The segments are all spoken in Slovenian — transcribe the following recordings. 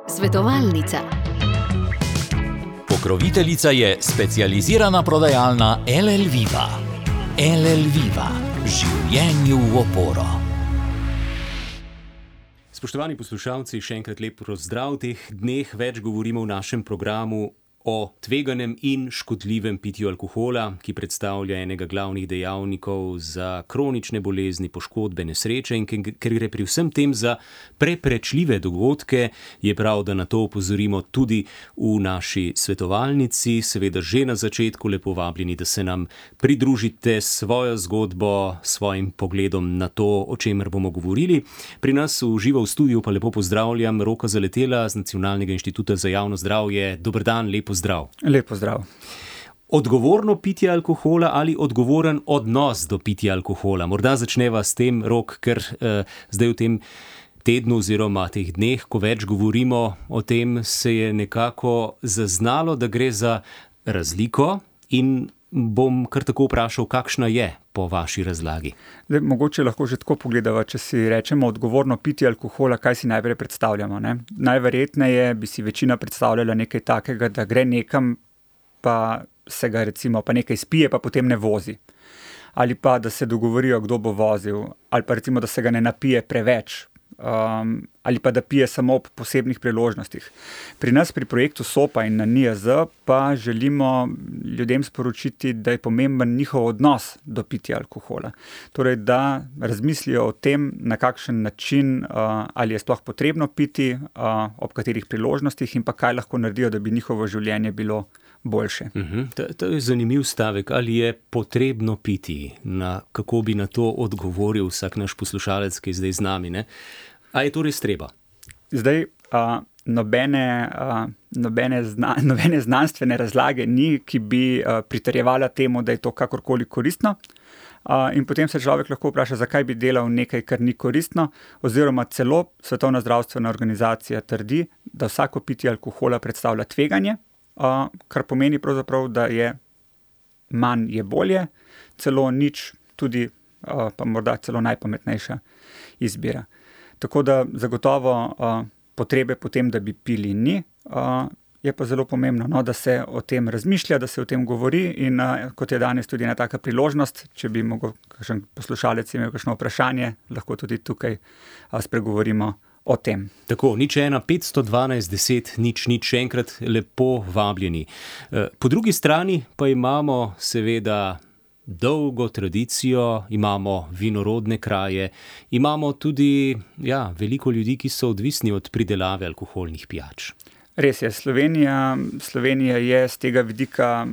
Svetovalnica. Pokroviteljica je specializirana prodajalna LL Viva. LL Viva. Življenju v oporo. Spoštovani poslušalci, še enkrat lep pozdrav. V teh dneh več govorimo v našem programu o tveganem in škodljivem pitju alkohola, ki predstavlja enega glavnih dejavnikov za kronične bolezni, poškodbe, nesreče, in ker gre pri vsem tem za preprečljive dogodke, je prav, da na to opozorimo tudi v naši svetovalnici. Seveda že na začetku lepo vabljeni, da se nam pridružite s svojo zgodbo, svojim pogledom na to, o čemer bomo govorili. Pri nas v živo v studiu pa lepo pozdravljam Roka Zaletela z Nacionalnega inštituta za javno zdravje. Dober dan, lepo zdrav. Lep pozdrav. Odgovorno pitje alkohola ali odgovoren odnos do pitja alkohola? Morda začneva s tem, Rok, ker zdaj v tem tednu oziroma teh dneh, ko več govorimo o tem, se je nekako zaznalo, da gre za razliko, in bom kar tako vprašal, kakšna je po vaši razlagi. Zdaj, mogoče lahko že tako pogledava, če si rečemo odgovorno pitje alkohola, kaj si najprej predstavljamo, ne? Najverjetneje bi si večina predstavljala nekaj takega, da gre nekam, pa se ga recimo pa nekaj spije, pa potem ne vozi. Ali pa da se dogovorijo, kdo bo vozil, ali pa recimo, da se ga ne napije preveč, ali pa da pije samo ob posebnih priložnostih. Pri nas pri projektu SOPA in na NIJZ pa želimo ljudem sporočiti, da je pomemben njihov odnos do pitja alkohola. Torej, da razmislijo o tem, na kakšen način, ali je sploh potrebno piti, ob katerih priložnostih, in pa kaj lahko naredijo, da bi njihovo življenje bilo boljše. To je zanimiv stavek. Ali je potrebno piti? Kako bi na to odgovoril vsak naš poslušalec, ki je zdaj z nami, ne? A je to res treba? Zdaj, nobene znanstvene razlage ni, ki bi pritrjevala temu, da je to kakorkoli koristno. In potem se človek lahko vpraša, zakaj bi delal nekaj, kar ni koristno, oziroma celo Svetovna zdravstvena organizacija trdi, da vsako pitje alkohola predstavlja tveganje, kar pomeni pravzaprav, da je manj je bolje, celo nič tudi, pa morda celo najpametnejša izbira. Tako da zagotovo potrebe potem, da bi pili, ni. Je pa zelo pomembno, no, da se o tem razmišlja, da se o tem govori, in kot je danes tudi ena taka priložnost, če bi mogel kakšen poslušalec imel kakšno vprašanje, lahko tudi tukaj spregovorimo o tem. Tako, 01 512 10 0 0, še enkrat lepo vabljeni. Po drugi strani pa imamo seveda dolgo tradicijo, imamo vinorodne kraje, imamo tudi veliko ljudi, ki so odvisni od pridelave alkoholnih pijač. Res je, Slovenija je z tega vidika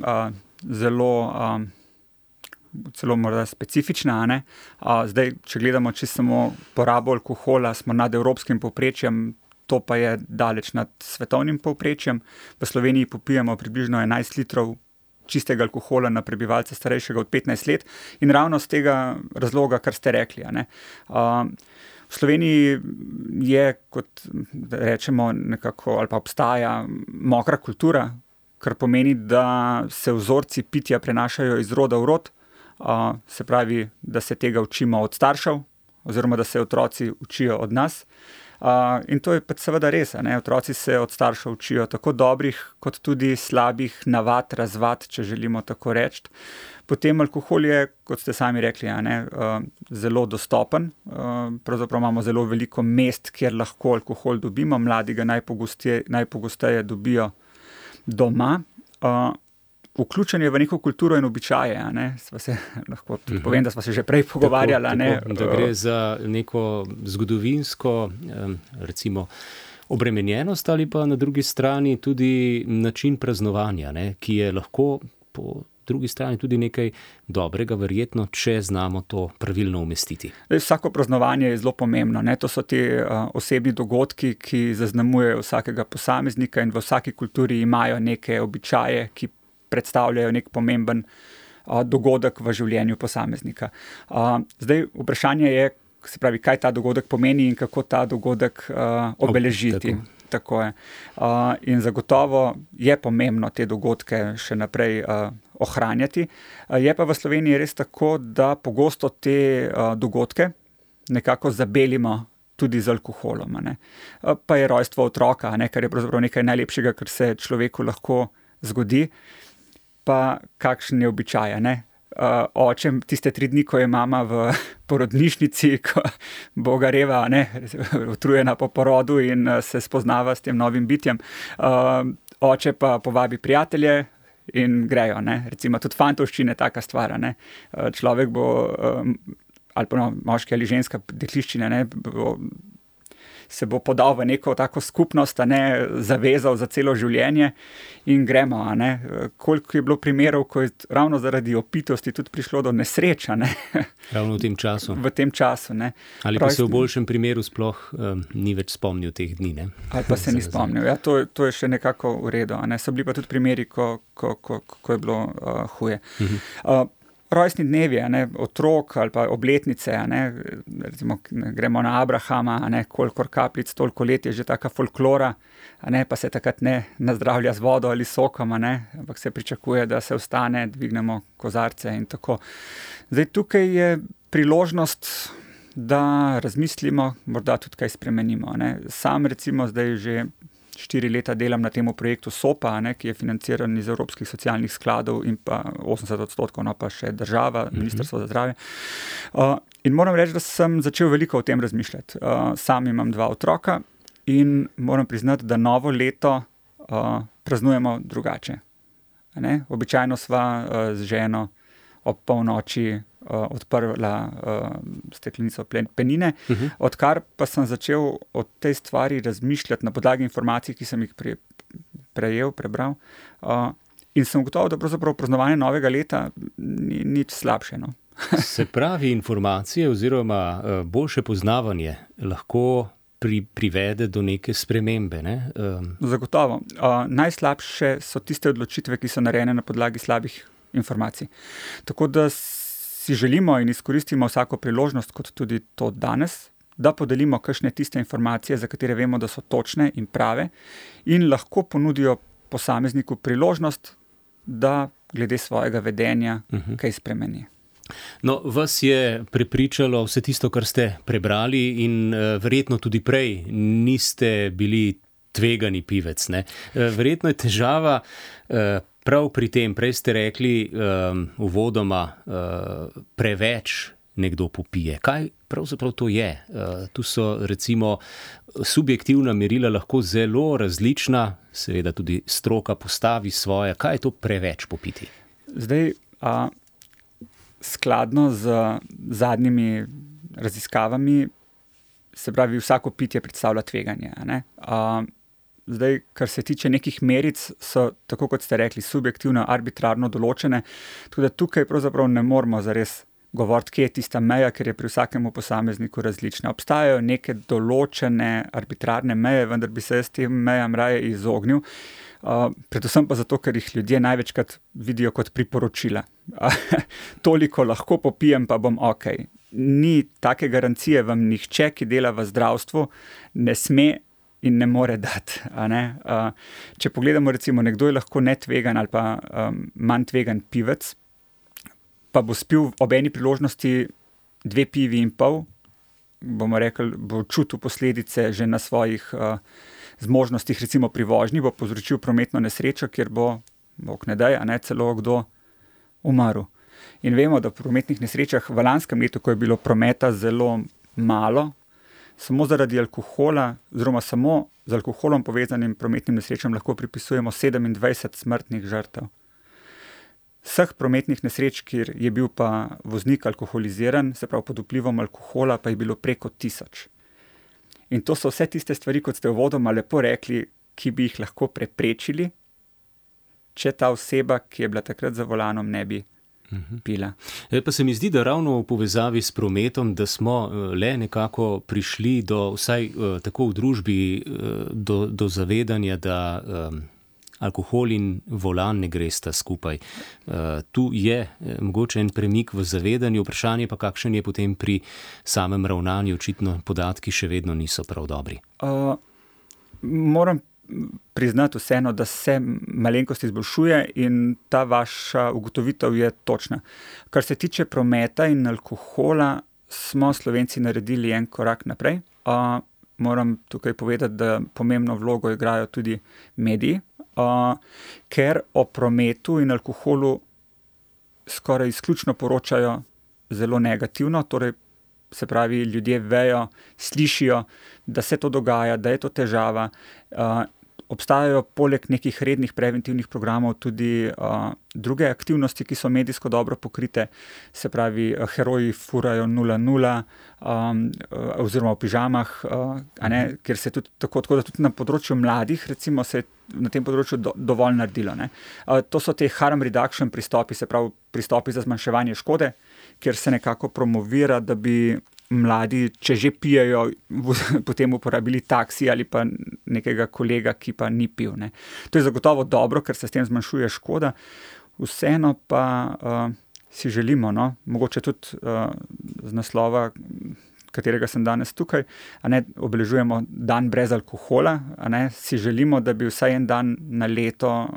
celo morda specifična, ne? Zdaj, če gledamo samo porabo alkohola, smo nad evropskim povprečjem, to pa je daleč nad svetovnim povprečjem. V Sloveniji popijemo približno 11 litrov čistega alkohola na prebivalca starejšega od 15 let, in ravno z tega razloga, kar ste rekli, ne? V Sloveniji je, kot rečemo nekako, ali pa obstaja mokra kultura, kar pomeni, da se vzorci pitja prenašajo iz roda v rod, se pravi, da se tega učimo od staršev, oziroma da se otroci učijo od nas. In to je pa seveda res, ne? Otroci se od staršev učijo tako dobrih, kot tudi slabih navad, razvad, če želimo tako reči. Potem alkohol je, kot ste sami rekli, zelo dostopen. Pravzaprav imamo zelo veliko mest, kjer lahko alkohol dobimo. Mladi ga najpogosteje dobijo doma. Vključen je v neko kulturo in običaje, lahko tudi povem, da sva se že prej pogovarjala. Tako, da gre za neko zgodovinsko, recimo, obremenjenost, ali pa na drugi strani tudi način praznovanja, ki je lahko po drugi strani tudi nekaj dobrega, verjetno, če znamo to pravilno umestiti. Vsako praznovanje je zelo pomembno, To so ti osebni dogodki, ki zaznamujejo vsakega posameznika, in v vsaki kulturi imajo neke običaje, ki predstavljajo nek pomemben dogodek v življenju posameznika. Zdaj, vprašanje je, se pravi, kaj ta dogodek pomeni in kako ta dogodek obeležiti. Tako je. In zagotovo je pomembno te dogodke še naprej ohranjati. Je pa v Sloveniji res tako, da pogosto te dogodke nekako zabelimo tudi z alkoholom. Pa je rojstvo otroka, kar je pravzaprav nekaj najlepšega, kar se človeku lahko zgodi. Pa kakšen je običaj, oče tiste 3 dni, ko je mama v porodnišnici, ko bo gareva, utrujena po porodu in se spoznava s tem novim bitjem. Oče pa povabi prijatelje in grejo, recimo tudi fantovščine, taka stvar, človek bo, ali pa moški ali ženska dekliščina, se bo podal v neko tako skupnost, zavezal za celo življenje in gremo, Koliko je bilo primerov, ko je ravno zaradi opitosti tudi prišlo do nesreč, Ravno v tem času. V tem času, Ali pa se v boljšem primeru sploh ni več spomnil teh dni, Ali pa se ni spomnil, ja, to je še nekako v redu, So bili pa tudi primeri, ko je bilo huje. Rojstni dnevi, otrok ali pa obletnice, recimo gremo na Abrahama, kolikor kapljic, toliko let je že taka folklora, pa se takrat ne nazdravlja z vodo ali sokom, ampak se pričakuje, da se vstane, dvignemo kozarce in tako. Zdaj tukaj je priložnost, da razmislimo, morda tudi kaj spremenimo. Sam recimo zdaj že 4 leta delam na tem projektu SOPA, ki je financiran iz Evropskih socialnih skladov in pa 80% pa še država, Ministrstvo za zdravje. In moram reči, da sem začel veliko o tem razmišljati. Sam imam 2 otroka in moram priznati, da novo leto praznujemo drugače. Običajno sva z ženo ob polnoči odprla steklenico penine, odkar pa sem začel o tej stvari razmišljati na podlagi informacij, ki sem jih prebral, in sem ugotovil, da pravzaprav praznovanje novega leta ni nič slabše. Se pravi, informacije oziroma boljše poznavanje lahko privede do neke spremembe, Zagotovo. Najslabše so tiste odločitve, ki so narejene na podlagi slabih informacij. Tako da si želimo in izkoristimo vsako priložnost, kot tudi to danes, da podelimo kakšne tiste informacije, za katere vemo, da so točne in prave in lahko ponudijo posamezniku priložnost, da glede svojega vedenja kaj spremeni. No, vas je prepričalo vse tisto, kar ste prebrali in verjetno tudi prej niste bili tvegani pivec, Verjetno je težava prav pri tem, prej ste rekli uvodoma, preveč nekdo popije. Kaj pravzaprav to je? Tu so recimo subjektivna merila lahko zelo različna, seveda tudi stroka postavi svoje. Kaj je to preveč popiti? Zdaj, skladno z zadnjimi raziskavami, se pravi, vsako pitje predstavlja tveganje, Zdaj, kar se tiče nekih meric, so, tako kot ste rekli, subjektivno, arbitrarno določene, tako da tukaj pravzaprav ne moramo zares govoriti, kje je tista meja, ker je pri vsakemu posamezniku različna. Obstajajo neke določene arbitrarne meje, vendar bi se jaz tem mejam raje izognil, predvsem pa zato, ker jih ljudje največkrat vidijo kot priporočila. Toliko lahko popijem, pa bom okej. Ni take garancije vam nihče, ki dela v zdravstvu, ne sme in ne more dati. Če pogledamo, recimo, nekdo je lahko netvegan ali pa manj tvegan pivec, pa bo spil ob eni priložnosti 2,5 pivi, bomo rekli, bo čutil posledice že na svojih zmožnostih, recimo pri vožnji, bo povzročil prometno nesrečo, kjer bo, bog ne daj, celo kdo umrl. In vemo, da v prometnih nesrečah v lanskem letu, ko je bilo prometa zelo malo, samo zaradi alkohola, oziroma samo z alkoholom povezanim prometnim nesrečam lahko pripisujemo 27 smrtnih žrtev. Vseh prometnih nesreč, kjer je bil pa voznik alkoholiziran, se pravi pod vplivom alkohola, pa je bilo preko 1000. In to so vse tiste stvari, kot ste uvodoma lepo rekli, ki bi jih lahko preprečili, če ta oseba, ki je bila takrat za volanom, ne bi pila. Pa se mi zdi, da ravno v povezavi s prometom, da smo le nekako prišli do, vsaj tako v družbi, do zavedanja, da alkohol in volan ne gresta skupaj. Tu je mogoče en premik v zavedanju, vprašanje pa kakšen je potem pri samem ravnanju, očitno podatki še vedno niso prav dobri. Moram priznati vseeno, da se malenkost izboljšuje in ta vaša ugotovitev je točna. Kar se tiče prometa in alkohola, smo Slovenci naredili en korak naprej. moram tukaj povedati, da pomembno vlogo igrajo tudi mediji, ker o prometu in alkoholu skoraj izključno poročajo zelo negativno, torej se pravi, ljudje vejo, slišijo, da se to dogaja, da je to težava. Obstajajo poleg nekih rednih preventivnih programov tudi druge aktivnosti, ki so medijsko dobro pokrite, se pravi, heroji furajo 0-0 oziroma v pižamah, kjer se tudi tako da tudi na področju mladih, recimo, se je na tem področju dovolj naredilo. To so te harm reduction pristopi, se pravi pristopi za zmanjševanje škode, kjer se nekako promovira, da bi mladi, če že pijejo, potem uporabili taksi ali pa nekega kolega, ki pa ni pil. To je zagotovo dobro, ker se s tem zmanjšuje škoda. Vseeno pa si želimo, mogoče tudi z naslova, katerega sem danes tukaj, obeležujemo dan brez alkohola, si želimo, da bi vsaj en dan na leto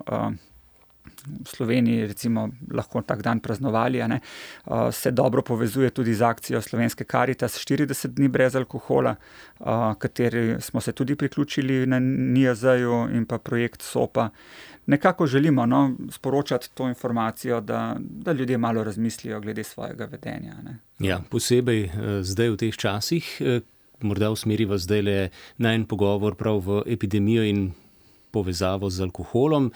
v Sloveniji recimo lahko tak dan praznovali, se dobro povezuje tudi z akcijo Slovenske Karitas 40 dni brez alkohola, kateri smo se tudi priključili na NIJZ-ju in pa projekt SOPA. Nekako želimo sporočati to informacijo, da ljudje malo razmislijo glede svojega vedenja. Ja, posebej zdaj v teh časih, morda usmeriva zdajle na en pogovor prav v epidemijo in povezavo z alkoholom.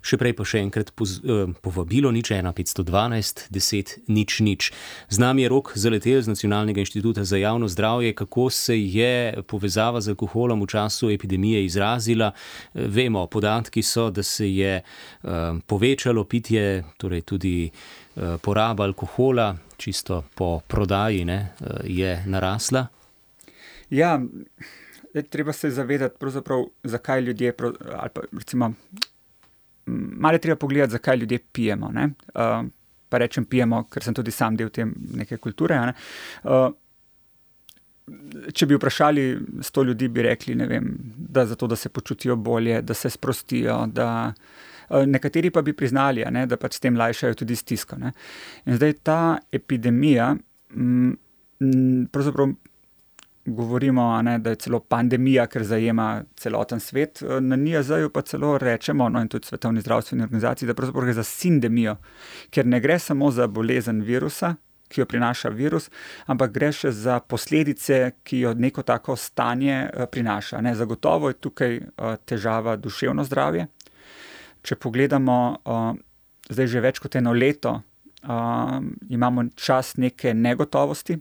Še prej pa še enkrat povabilo 01 512 10 000. Z nami je Rok Zaletelj z Nacionalnega inštituta za javno zdravje. Kako se je povezava z alkoholom v času epidemije izrazila? Vemo, podatki so, da se je povečalo pitje, torej tudi poraba alkohola, čisto po prodaji, je narasla. Ja, treba se zavedati pravzaprav, zakaj ljudje, ali pa recimo, malo je treba pogledati, zakaj ljudje pijemo. Pa rečem pijemo, ker sem tudi sam del te neke kulture. Če bi vprašali 100 ljudi, bi rekli, da zato, da se počutijo bolje, da se sprostijo, da nekateri pa bi priznali, da pač s tem lajšajo tudi stisko. In zdaj ta epidemija, pravzaprav govorimo, da je celo pandemija, ker zajema celoten svet. Na NIJZ-ju pa celo rečemo, in tudi Svetovni zdravstveni organizaciji, da pravzaprav gre za sindemijo, ker ne gre samo za bolezen virusa, ki jo prinaša virus, ampak gre še za posledice, ki jo neko tako stanje prinaša. Zagotovo je tukaj težava duševno zdravje. Če pogledamo zdaj že več kot eno leto, imamo čas neke negotovosti,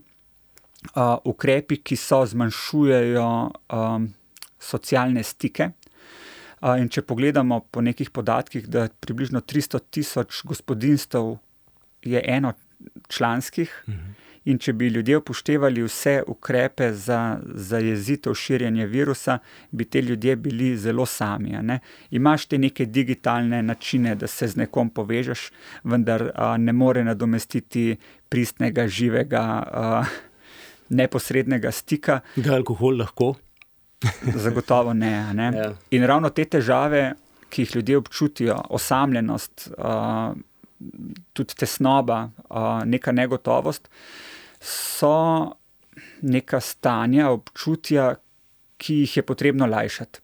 ukrepi, ki zmanjšujejo socialne stike. In če pogledamo po nekih podatkih, da približno 300 000 gospodinjstev je enočlanskih, in če bi ljudje upoštevali vse ukrepe za zajezitev širjenja virusa, bi te ljudje bili zelo sami. Imaš te neke digitalne načine, da se z nekom povežeš, vendar ne more nadomestiti pristnega, živega, neposrednega stika. Ga alkohol lahko? Zagotovo ne. Ja. In ravno te težave, ki jih ljudje občutijo, osamljenost, tudi tesnoba, neka negotovost, so neka stanja, občutja, ki jih je potrebno lajšati.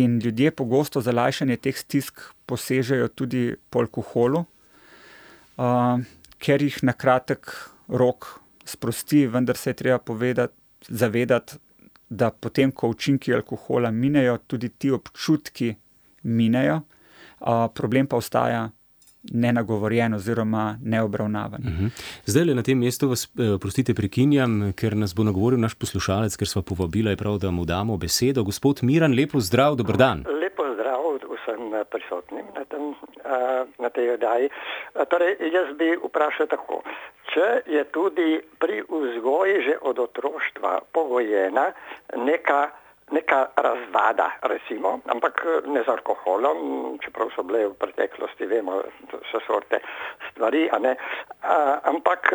In ljudje pogosto za lajšanje teh stisk posežejo tudi po alkoholu, ker jih na kratek rok sprosti, vendar se je treba zavedati, da potem, ko učinki alkohola minejo, tudi ti občutki minejo, problem pa ostaja nenagovorjen oziroma neobravnavan. Zdaj na tem mestu vas, prostite, prekinjam, ker nas bo nagovoril naš poslušalec, ker sva povabila, je prav, da mu damo besedo. Gospod Miran, lepo zdrav, dober dan. Lepo zdrav vsem prisotnim na tej oddaji. Torej, jaz bi vprašal tako. Če je tudi pri vzgoji že od otroštva pogojena neka razvada, recimo, ampak ne z alkoholom, čeprav so bile v preteklosti, vemo, so sorte stvari, ampak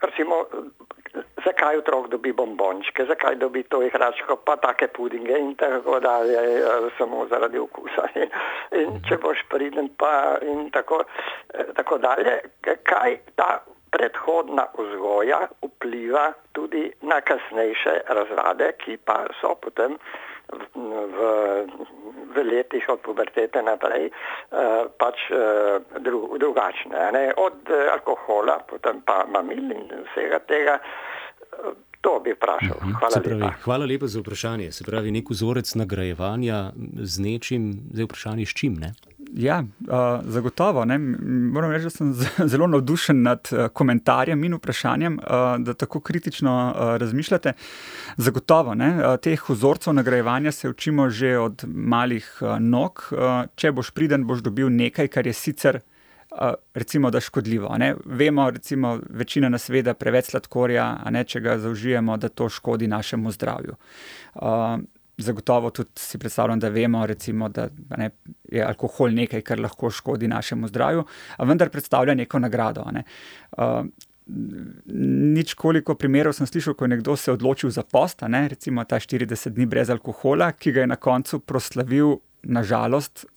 recimo, zakaj otrok dobi bombončke, zakaj dobi to igračko, pa take pudinge in tako dalje, samo zaradi okusa. In če boš priden pa in tako dalje, kaj ta predhodna vzgoja vpliva tudi na kasnejše razrade, ki pa so potem v letih od pubertete naprej pač drugačne. Ne? Od alkohola, potem pa mamil in vsega tega. To bi vprašal. Hvala lepa. Hvala lepa za vprašanje. Se pravi, nek vzorec nagrajevanja z nečim, zdaj vprašanje s čim, ne? Ja, zagotovo. Ne? Moram reči, da sem zelo navdušen nad komentarjem in vprašanjem, da tako kritično razmišljate. Zagotovo, ne? Teh vzorcev nagrajevanja se učimo že od malih nog. Če boš priden, boš dobil nekaj, kar je sicer recimo, da škodljivo. Ne? Vemo, recimo, večina nas ve, da preveč sladkorja, če ga zaužijemo, da to škodi našemu zdravju. Zagotovo tudi si predstavljam, da vemo, recimo, da je alkohol nekaj, kar lahko škodi našemu zdravju, a vendar predstavlja neko nagrado. Nič koliko primerov sem slišal, ko je nekdo se odločil za post, recimo ta 40 dni brez alkohola, ki ga je na koncu proslavil, na žalost,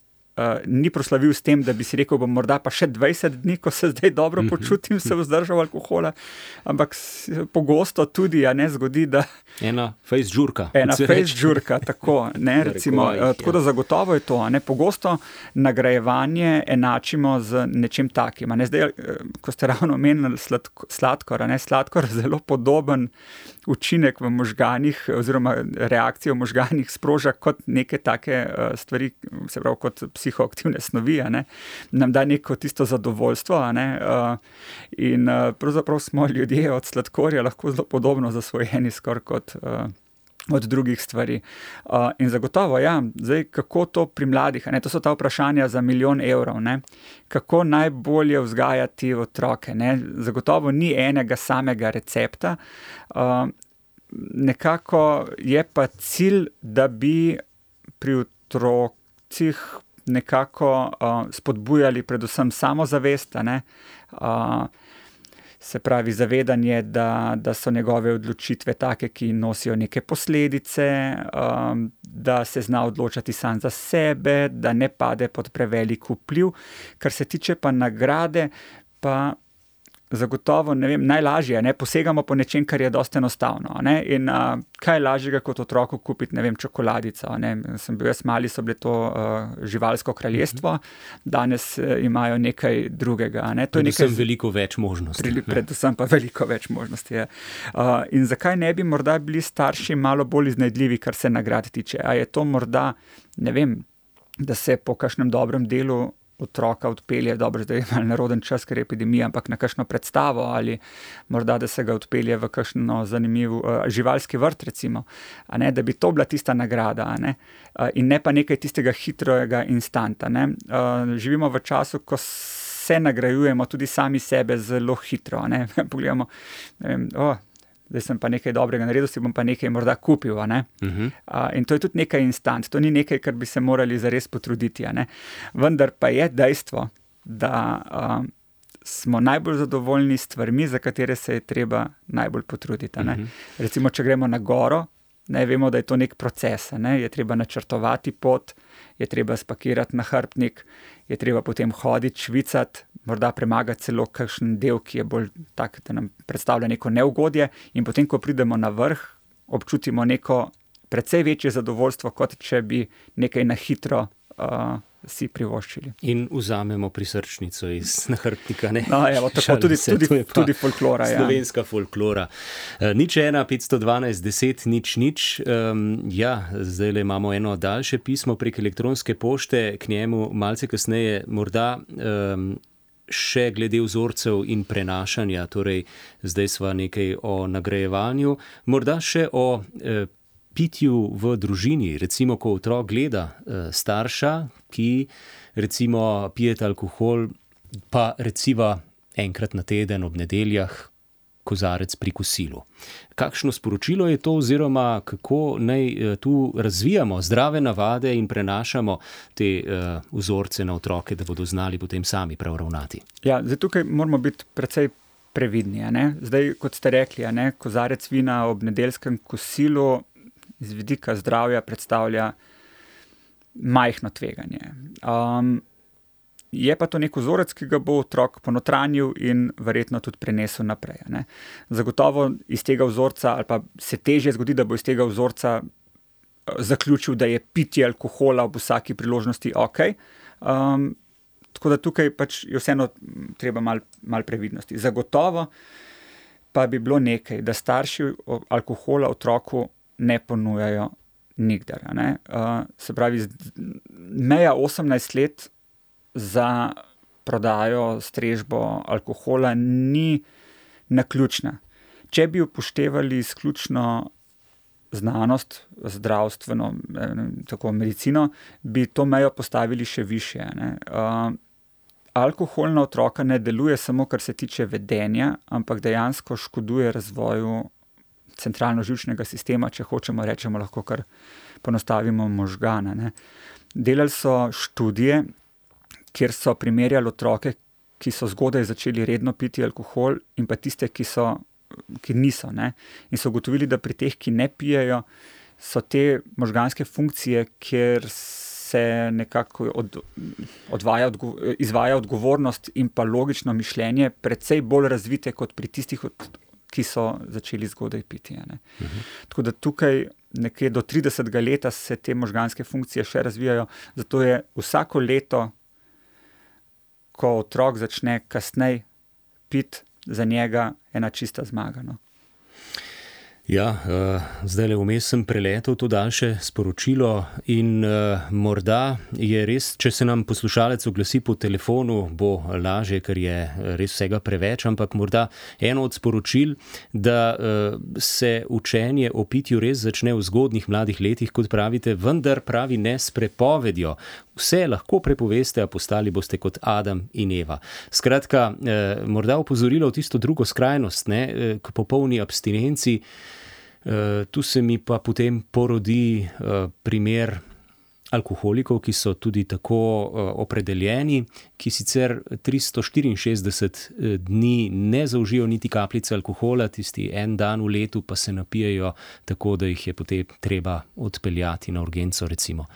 ni proslavil s tem, da bi si rekel, bom morda pa še 20 dni, ko se zdaj dobro počutim, se vzdržal alkohola, ampak pogosto tudi zgodi, da ena fejs žurka. Tako, recimo, tako da zagotovo je to. Pogosto nagrajevanje enačimo z nečim takim. Zdaj, ko ste ravno omenili sladkor, sladkor zelo podoben učinek v možganih oziroma reakcijo v možganih sproža kot neke take stvari, se pravi kot psihoaktivne snovi, nam da neko tisto zadovoljstvo, in pravzaprav smo ljudje od sladkorja lahko zelo podobno zasvojeni skoraj kot od drugih stvari. In zagotovo, zdaj, kako to pri mladih, to so ta vprašanja za 1 milijon evrov, kako najbolje vzgajati otroke, zagotovo ni enega samega recepta, nekako je pa cilj, da bi pri otrocih nekako spodbujali predvsem samozavest, se pravi zavedanje, da so njegove odločitve take, ki nosijo neke posledice, da se zna odločati sam za sebe, da ne pade pod prevelik vpliv. Kar se tiče pa nagrade, pa zagotovo, najlažje, posegamo po nečem, kar je dosti enostavno, in kaj je lažjega kot otroku kupiti, čokoladico, Sem bil jaz mali, so bile to živalsko kraljestvo, danes imajo nekaj drugega, Predvsem veliko več možnosti. Predvsem pa veliko več možnosti, je. In zakaj ne bi morda bili starši malo bolj iznajdljivi, kar se nagrad tiče? A je to morda, da se po kakšnem dobrem delu otroka odpelje, dobro, zdaj je malo neroden čas, ker je epidemija, ampak na kakšno predstavo ali morda, da se ga odpelje v kakšno zanimiv živalski vrt, recimo, da bi to bila tista nagrada, in ne pa nekaj tistega hitrega instanta, Živimo v času, ko se nagrajujemo tudi sami sebe zelo hitro, Pogledamo, zdaj sem pa nekaj dobrega naredil, si bom pa nekaj morda kupil, in to je tudi nekaj instant, to ni nekaj, kar bi se morali zares potruditi, Vendar pa je dejstvo, da smo najbolj zadovoljni s stvarmi, za katere se je treba najbolj potruditi, Recimo, če gremo na goro, vemo, da je to nek proces, je treba načrtovati pot, je treba spakirati nahrbtnik, je treba potem hoditi, švicati, morda premagati celo kakšen del, ki je bolj tak, da nam predstavlja neko neugodje, in potem, ko pridemo na vrh, občutimo neko precej večje zadovoljstvo, kot če bi nekaj na hitro si privoščili. In vzamemo prisrčnico iz nahrbtnika, tako tudi folklora. Slovenska folklora. 01 512 10 0. Zdajle imamo eno daljše pismo prek elektronske pošte, k njemu malce kasneje morda še glede vzorcev in prenašanja, torej zdaj sva nekaj o nagrajevanju, morda še o pitju v družini, recimo, ko otrok gleda starša, ki recimo pijete alkohol, pa recimo enkrat na teden ob nedeljah kozarec pri kosilu. Kakšno sporočilo je to, oziroma kako naj tu razvijamo zdrave navade in prenašamo te vzorce na otroke, da bodo znali potem sami prav ravnati? Zdaj tukaj moramo biti precej previdni. Zdaj, kot ste rekli, kozarec vina ob nedeljskem kosilu z vidika zdravja predstavlja majhno tveganje. Je pa to nek vzorec, ki ga bo otrok ponotranjil in verjetno tudi prenesel naprej. Ne. Zagotovo iz tega vzorca, ali pa se težje zgodi, da bo iz tega vzorca zaključil, da je pitje alkohola ob vsaki priložnosti ok. Tako da tukaj pač je vseeno treba malo previdnosti. Zagotovo pa bi bilo nekaj, da starši alkohola otroku ne ponujajo nikdar. Ne. Se pravi, meja 18 let za prodajo, strežbo alkohola ni naključna. Če bi upoštevali izključno znanost, zdravstveno, tako medicino, bi to mejo postavili še višje. Ne. Alkohol na otroka ne deluje samo, kar se tiče vedenja, ampak dejansko škoduje razvoju centralno-živčnega sistema, če hočemo rečemo, lahko kar ponostavimo možgana. Ne. Delali so študije, kjer so primerjali otroke, ki so zgodaj začeli redno piti alkohol in pa tiste, ki niso. Ne. In so ugotovili, da pri teh, ki ne pijejo, so možganske funkcije, kjer se nekako izvaja odgovornost in pa logično mišljenje precej bolj razvite kot pri tistih, ki so začeli zgodaj piti. Ne. Tako da tukaj nekje do 30. leta se te možganske funkcije še razvijajo, zato je vsako leto, ko otrok začne kasneje piti, za njega ena čista zmaga. No. Ja, zdaj vmes sem preletel to daljše sporočilo in morda je res, če se nam poslušalec oglasi po telefonu, bo lažje, ker je res vsega preveč, ampak morda eno od sporočil, da se učenje o pitju res začne v zgodnjih mladih letih, kot pravite, vendar pravi ne s prepovedjo. Vse lahko prepoveste, a postali boste kot Adam in Eva. Skratka, morda opozorilo v tisto drugo skrajnost, ne, k popolni abstinenci. Tu se mi pa potem porodi primer alkoholikov, ki so tudi tako opredeljeni, ki sicer 364 dni ne zaužijo niti kapljice alkohola, tisti en dan v letu pa se napijejo tako, da jih je potem treba odpeljati na urgenco, recimo.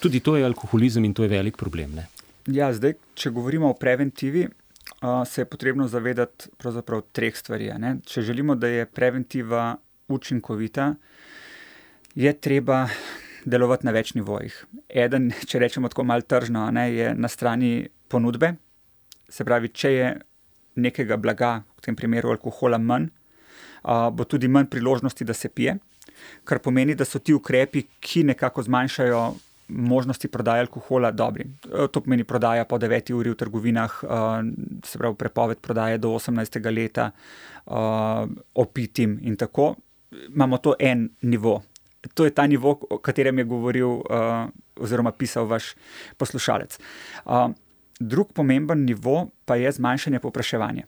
Tudi to je alkoholizem in to je velik problem, ne? Ja, zdaj, če govorimo o preventivi, se je potrebno zavedati pravzaprav 3 stvari. Ne? Če želimo, da je preventiva učinkovita, je treba delovati na več nivojih. Eden, če rečemo tako malo tržno, ne, je na strani ponudbe. Se pravi, če je nekega blaga, v tem primeru alkohola, manj, bo tudi manj priložnosti, da se pije, kar pomeni, da so ti ukrepi, ki nekako zmanjšajo možnosti prodaje alkohola, dobri. To pomeni prodaja po 9 uri v trgovinah, se pravi prepoved prodaje do 18. leta, opitim in tako. Imamo to en nivo. To je ta nivo, o katerem je govoril oziroma pisal vaš poslušalec. Drug pomemben nivo pa je zmanjšanje povpraševanja.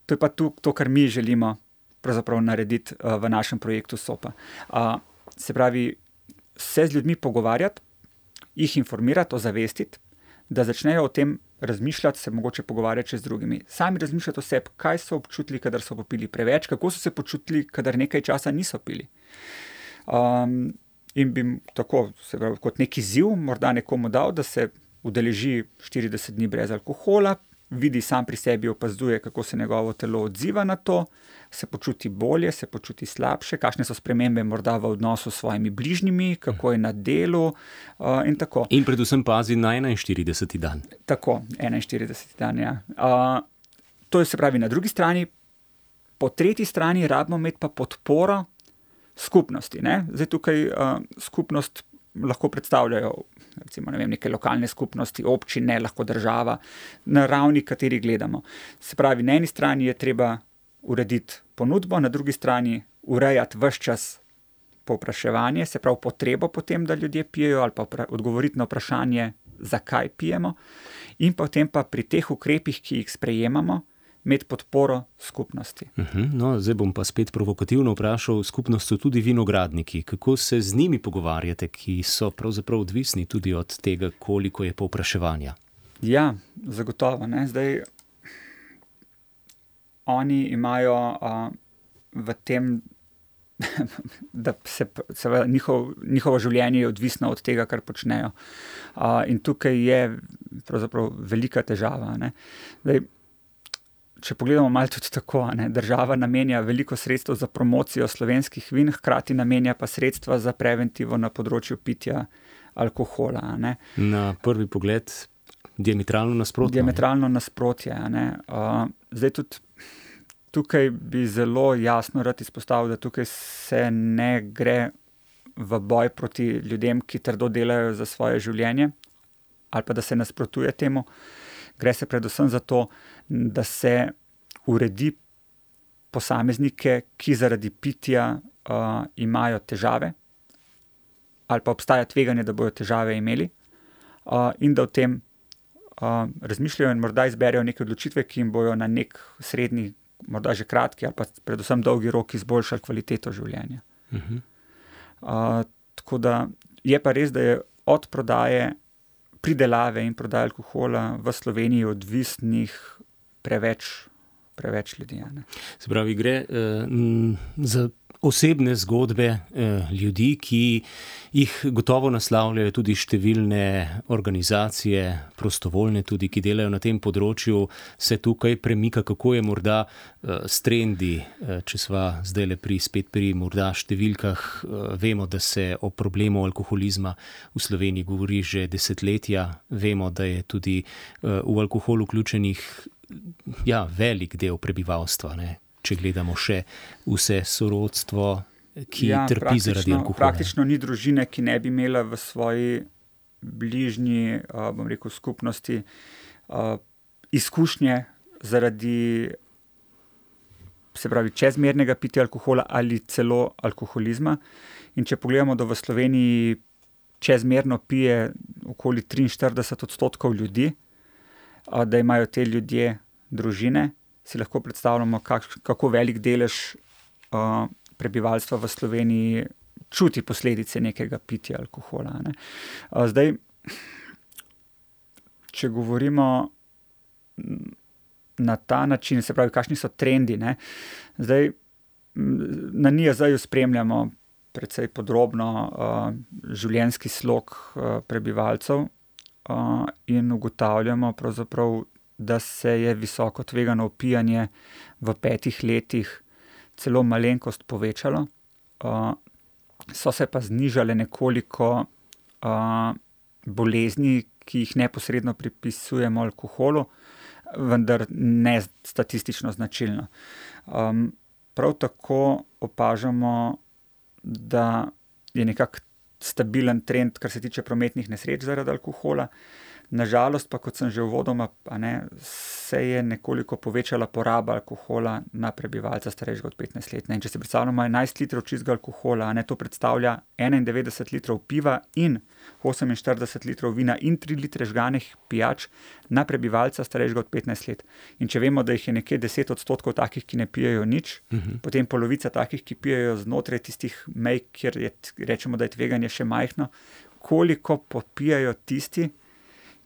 To je pa to, kar mi želimo pravzaprav narediti v našem projektu SOPA. Se pravi, se z ljudmi pogovarjati, jih informirati, ozavestiti, da začnejo o tem razmišljati, se mogoče pogovarjati še z drugimi. Sami razmišljati o sebi, kaj so občutili, kadar so popili preveč, kako so se počutili, kadar nekaj časa niso pili. In bi tako, se pravi, kot neki izziv morda nekomu dal, da se udeleži 40 dni brez alkohola, vidi sam pri sebi, opazuje, kako se njegovo telo odziva na to, se počuti bolje, se počuti slabše, kakšne so spremembe morda v odnosu s svojimi bližnjimi, kako je na delu in tako. In predvsem pazi na 41. dan. Tako, 41. dan, ja. To je, se pravi, na drugi strani. Po tretji strani rabimo imeti pa podporo skupnosti. Ne? Zdaj tukaj skupnost lahko predstavljajo recimo, ne vem, neke lokalne skupnosti, občine, lahko država, na ravni, kateri gledamo. Se pravi, na eni strani je treba urediti ponudbo, na drugi strani urejati ves čas povpraševanje, se pravi potrebo potem, da ljudje pijejo ali pa odgovoriti na vprašanje, zakaj pijemo, in potem pa pri teh ukrepih, ki jih sprejemamo, imeti podporo skupnosti. No, zdaj bom pa spet provokativno vprašal, skupnost so tudi vinogradniki. Kako se z njimi pogovarjate, ki so pravzaprav odvisni tudi od tega, koliko je povpraševanja? Ja, zagotovo. Ne? Zdaj, oni imajo v tem da se njihovo življenje je odvisno od tega, kar počnejo. In tukaj je pravzaprav velika težava, ne. Zdaj, če pogledamo malo tudi tako, ne, država namenja veliko sredstev za promocijo slovenskih vin, hkrati namenja pa sredstva za preventivo na področju pitja alkohola, ne. Na prvi pogled diametralno nasprotje. Diametralno nasprotje, ne. Zdaj tudi tukaj bi zelo jasno rad izpostavil, da tukaj se ne gre v boj proti ljudem, ki trdo delajo za svoje življenje, ali pa da se nasprotuje temu. Gre se predvsem za to, da se uredi posameznike, ki zaradi pitja imajo težave, ali pa obstaja tveganje, da bojo težave imeli, in da o tem razmišljajo in morda izberejo neke odločitve, ki jim bojo na nek srednji, morda že kratki, ali pa predvsem dolgi rok izboljšali kvaliteto življenja. Tako da je pa res, da je od prodaje, pridelave in prodaje alkohola v Sloveniji odvisnih preveč ljudi. Ne? Se pravi, gre za osebne zgodbe ljudi, ki jih gotovo naslavljajo tudi številne organizacije, prostovoljne tudi, ki delajo na tem področju, se tukaj premika, kako je morda s trendi, če sva zdajle spet pri morda številkah, vemo, da se o problemu alkoholizma v Sloveniji govori že desetletja, vemo, da je tudi v alkohol vključenih velik del prebivalstva, ne? Če gledamo še vse sorodstvo, ki trpi zaradi alkohola. Praktično ni družine, ki ne bi imela v svoji bližnji, skupnosti izkušnje zaradi, se pravi, čezmernega pitja alkohola ali celo alkoholizma. In če pogledamo, da v Sloveniji čezmerno pije okoli 43% ljudi, da imajo te ljudje družine, si lahko predstavljamo, kako velik delež prebivalstva v Sloveniji čuti posledice nekega pitja alkohola. Ne. Zdaj, če govorimo na ta način, se pravi, kakšni so trendi, ne. Zdaj, na NIJZ-ju spremljamo precej podrobno življenjski slog prebivalcev in ugotavljamo pravzaprav, da se je visoko tvegano opijanje v 5 letih celo malenkost povečalo. So se pa znižale nekoliko bolezni, ki jih neposredno pripisujemo alkoholu, vendar ne statistično značilno. Prav tako opažamo, da je nekako stabilen trend, kar se tiče prometnih nesreč zaradi alkohola. Nažalost pa, kot sem že uvodoma, se je nekoliko povečala poraba alkohola na prebivalca starejšega od 15 let. In če si predstavljamo 11 litrov čistega alkohola, to predstavlja 91 litrov piva in 48 litrov vina in 3 litre žganih pijač na prebivalca starejšega od 15 let. In če vemo, da jih je nekje 10% takih, ki ne pijejo nič, potem polovica takih, ki pijejo znotraj tistih mej, kjer rečemo, da je tveganje še majhno, koliko popijajo tisti,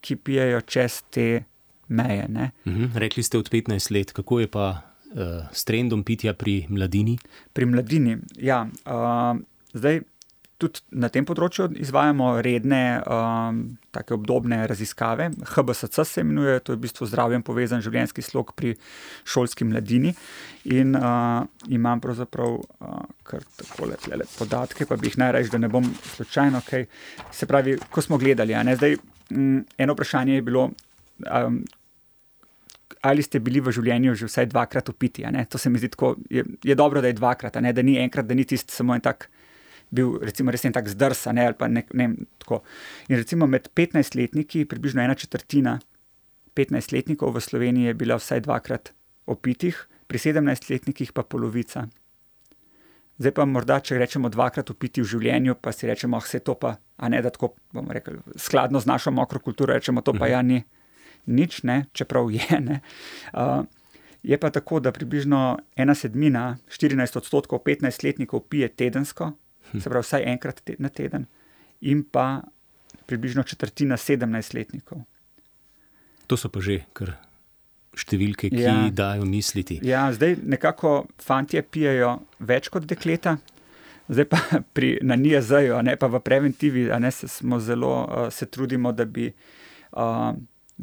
ki pijejo čez te meje. Ne? Rekli ste od 15 let, kako je pa s trendom pitja pri mladini? Pri mladini, zdaj tudi na tem področju izvajamo redne take obdobne raziskave. HBSC se imenuje, to je v bistvu zdravjem povezan življenjski slog pri šolski mladini. In imam pravzaprav kar takole podatke, pa bi jih najraje, da ne bom slučajno kaj. Se pravi, ko smo gledali, zdaj eno vprašanje je bilo, ali ste bili v življenju že vsaj 2-krat opiti. To se mi zdi tako, je dobro, da je 2-krat, da ni enkrat, da ni tisti samo en tak bil, recimo res en tak zdrs, ali pa ne tako. In recimo med 15-letniki, približno 1/4 15-letnikov v Sloveniji je bila vsaj 2-krat opitih, pri 17-letnikih pa polovica. Zdaj pa morda, če rečemo 2-krat opiti v življenju, pa si rečemo, vse to pa, da tako, bomo rekli, skladno z našo mokro kulturo, rečemo, to pa ni nič, ne, čeprav je, ne. Je pa tako, da približno 1/7, 14% 15-letnikov pije tedensko, se pravi vsaj enkrat na teden, in pa približno 1/4 17-letnikov. To so pa že kar številke, ki dajo misliti. Ja, zdaj nekako fantje pijejo več kot dekleta, Zdaj pa na NIJZ-ju, pa v preventivi, smo zelo, se trudimo, da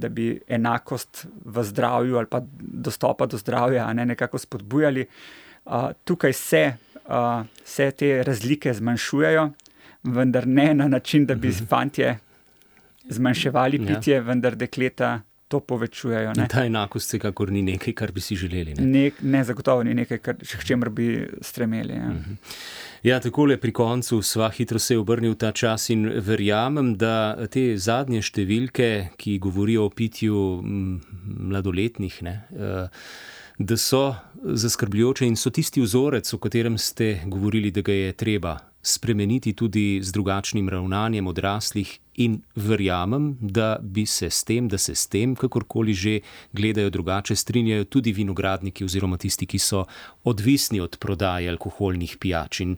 bi enakost v zdravju ali pa dostopa do zdravja, nekako spodbujali. Tukaj se te razlike zmanjšujejo, vendar ne na način, da bi fantje zmanjševali pitje, vendar dekleta to povečujejo. In ta enakost vsekakor ni nekaj, kar bi si želeli. Ne, zagotovo ni nekaj, k čemur bi stremeli. Ja, takole pri koncu sva hitro se obrnil ta čas in verjamem, da te zadnje številke, ki govorijo o pitju mladoletnih, da so zaskrbljujoče in so tisti vzorec, o katerem ste govorili, da ga je treba spremeniti tudi z drugačnim ravnanjem odraslih, in verjamem, da se s tem, kakorkoli že gledajo drugače, strinjajo tudi vinogradniki oziroma tisti, ki so odvisni od prodaje alkoholnih pijač. In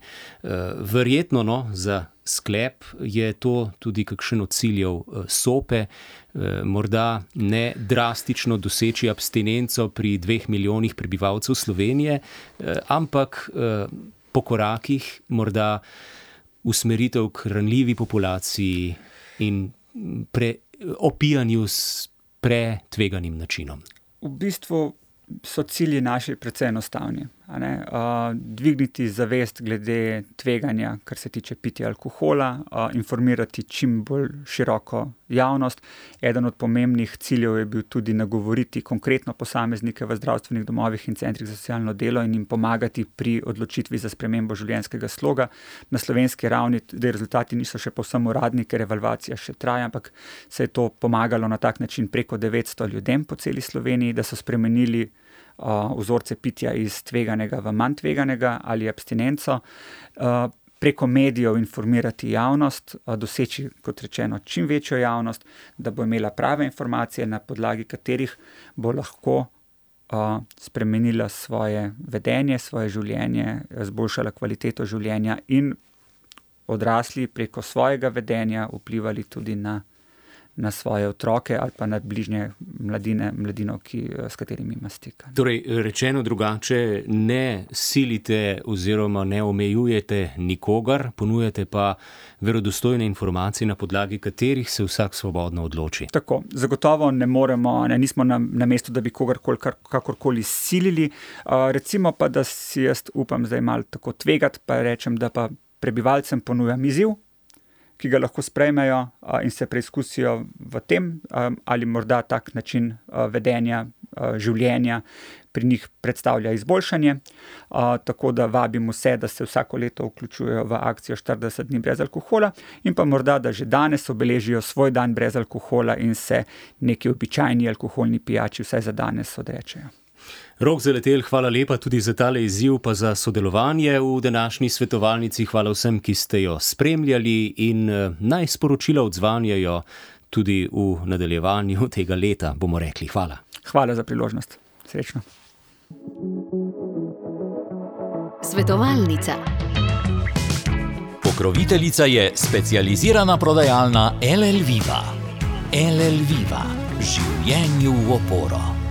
verjetno, za sklep je to tudi kakšen od ciljev SOPE, morda ne drastično doseči abstinenco pri 2 milijonih prebivalcev Slovenije, ampak po korakih morda usmeritev k ranljivi populaciji in opijanju s pretveganim načinom. V bistvu so cilji naši precej enostavni. Dvigniti zavest glede tveganja, kar se tiče pitja alkohola, informirati čim bolj široko javnost. Eden od pomembnih ciljev je bil tudi nagovoriti konkretno posameznike v zdravstvenih domovih in centrih za socialno delo in jim pomagati pri odločitvi za spremembo življenjskega sloga. Na slovenski ravni rezultati niso še povsem uradni, ker evalvacija še traja, ampak se je to pomagalo na tak način preko 900 ljudem po celi Sloveniji, da so spremenili vzorce pitja iz tveganega v manj tveganega ali abstinenco, preko medijev informirati javnost, doseči, kot rečeno, čim večjo javnost, da bo imela prave informacije, na podlagi katerih bo lahko spremenila svoje vedenje, svoje življenje, zboljšala kvaliteto življenja in odrasli preko svojega vedenja vplivali tudi na svoje otroke ali pa na bližnje mladino, s katerimi ima stika. Torej, rečeno drugače, ne silite oziroma ne omejujete nikogar, ponujate pa verodostojne informacije, na podlagi katerih se vsak svobodno odloči. Tako, zagotovo ne moremo, nismo na mestu, da bi kogarkoli kakorkoli silili. Recimo pa, da si jaz upam zdaj malo tako tvegati, pa rečem, da pa prebivalcem ponujam izziv, ki ga lahko sprejmejo in se preizkusijo v tem, ali morda tak način vedenja, življenja pri njih predstavlja izboljšanje. Tako da vabim vse, da se vsako leto vključujejo v akcijo 40 dni brez alkohola in pa morda, da že danes obeležijo svoj dan brez alkohola in se neki običajni alkoholni pijači vsaj za danes odrečejo. Rok Zaletelj, hvala lepa tudi za tale izziv, pa za sodelovanje v današnji svetovalnici. Hvala vsem, ki ste jo spremljali, in naj sporočila odzvanjajo tudi v nadaljevanju tega leta, bomo rekli. Hvala. Hvala za priložnost. Srečno. Svetovalnica. Pokroviteljica je specializirana prodajalna LL Viva. LL Viva. Življenju v oporo.